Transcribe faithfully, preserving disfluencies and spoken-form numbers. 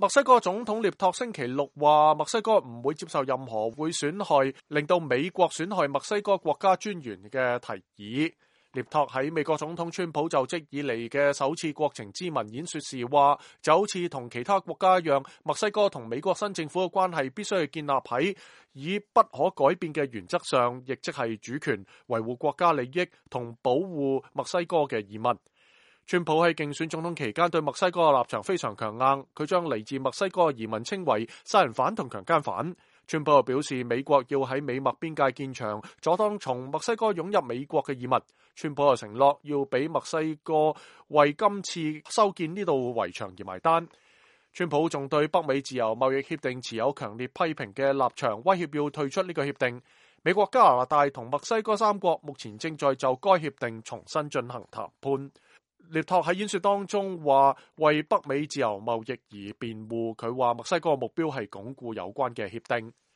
墨西哥總統涅托星期六話，墨西哥唔會接受任何會損害令到美國損害墨西哥國家尊嚴嘅提議。涅托喺美國總統川普就職以嚟嘅首次國情咨文演說時話，就好似同其他國家一樣，墨西哥同美國新政府嘅關係必須要建立喺以不可改變嘅原則上，亦即係主權、維護國家利益同保護墨西哥嘅移民。川普喺競選總統期間對墨西哥嘅立場非常強硬，佢將嚟自墨西哥嘅移民稱為殺人犯同強姦犯。川普又表示，美國要喺美墨邊界建牆，阻擋從墨西哥湧入美國嘅移民。川普又承諾要俾墨西哥為今次修建呢道圍牆而埋單。川普仲對北美自由貿易協定持有強烈批評嘅立場，威脅要退出呢個協定。美國、加拿大同墨西哥三國目前正在就該協定重新進行談判。涅托喺演說當中話為北美自由貿易而辯護，佢話墨西哥嘅目標係鞏固有關嘅協定。